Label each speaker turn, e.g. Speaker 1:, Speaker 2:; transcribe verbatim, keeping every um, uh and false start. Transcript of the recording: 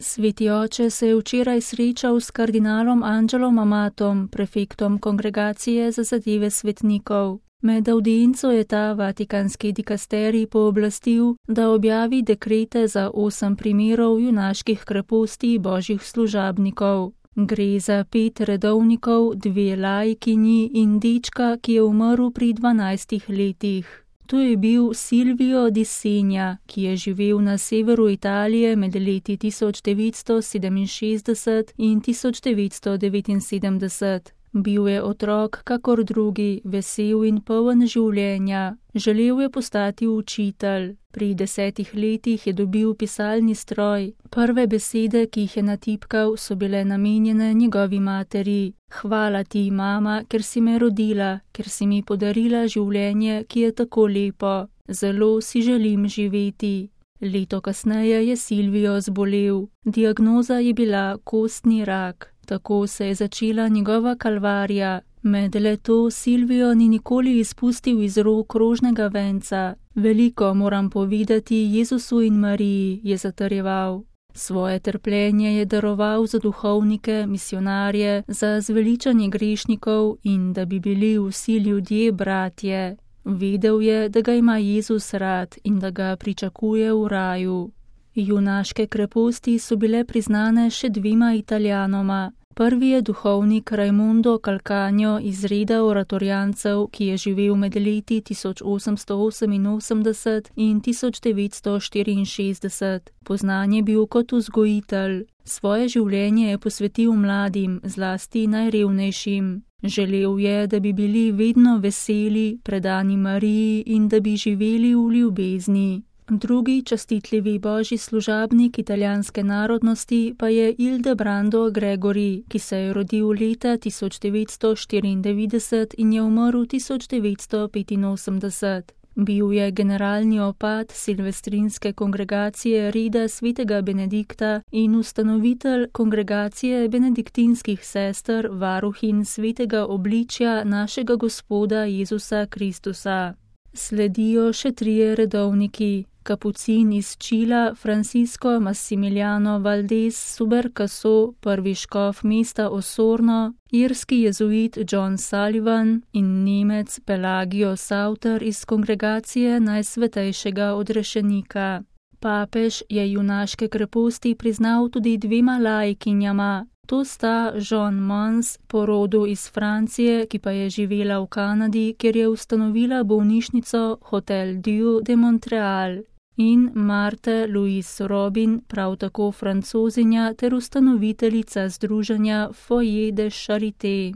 Speaker 1: Sveti oče se je včeraj srečal s kardinalom Angelom Amatom, prefektom Kongregacije za zadeve svetnikov. Med avdienco je ta vatikanski dikasterij pooblastil, da objavi dekrete za osem primerov junaških kreposti božjih služabnikov. Gre za pet redovnikov, dve laikinji in dečka, ki je umrl pri dvanajstih letih. To je bil Silvio di Segna, ki je živel na severu Italije med leti tisoč devetsto sedeminšestdeset in tisoč devetsto devetinsedemdeset. Bil je otrok kakor drugi, vesel in poln življenja. Želel je postati učitelj. Pri desetih letih je dobil pisalni stroj. Prve besede, ki jih je natipkal, so bile namenjene njegovi materi. Hvala ti, mama, ker si me rodila, ker si mi podarila življenje, ki je tako lepo. Zelo si želim živeti. Leto kasneje je Silvio zbolel. Diagnoza je bila kostni rak. Tako se je začela njegova kalvarija. Med leto Silvio ni nikoli izpustil iz rok rožnega venca. Veliko moram povedati Jezusu in Mariji, je zatrjeval. Svoje trpljenje je daroval za duhovnike, misionarje, za zveličanje grešnikov in da bi bili vsi ljudje bratje. Vedel je, da ga ima Jezus rad in da ga pričakuje v raju. Junaške kreposti so bile priznane še dvema Italijanoma. Prvi je duhovnik Raimondo Calcagno iz reda oratorijancev, ki je živel med leti tisoč osemsto oseminosemdeset in tisoč devetsto štiriinšestdeset. Poznan je bil kot vzgojitelj. Svoje življenje je posvetil mladim, zlasti najrevnejšim. Želel je, da bi bili vedno veseli, predani Mariji in da bi živeli v ljubezni. Drugi častitljivi božji služabnik italijanske narodnosti pa je Ildebrando Gregori, ki se je rodil leta tisoč devetsto štiriindevetdeset in je umrl tisoč devetsto petinosemdeset. Bil je generalni opat silvestrinske kongregacije reda svetega Benedikta in ustanovitelj kongregacije benediktinskih sester, varuhin svetega obličja našega Gospoda Jezusa Kristusa. Sledijo še trije redovniki. Kapucin iz Čila Francisco Massimiliano Valdez Subercaso, prvi škof mesta Osorno, irski jezuit John Sullivan in Nemec Pelagio Sauter iz kongregacije Najsvetejšega odrešenika. Papež je junaške kreposti priznal tudi dvema laikinjama. To sta Jean Mons, po rodu iz Francije, ki pa je živela v Kanadi, kjer je ustanovila bolnišnico Hotel Dieu de Montreal, in Marthe Louise Robin, prav tako Francozinja ter ustanoviteljica združenja Foyer de Charité.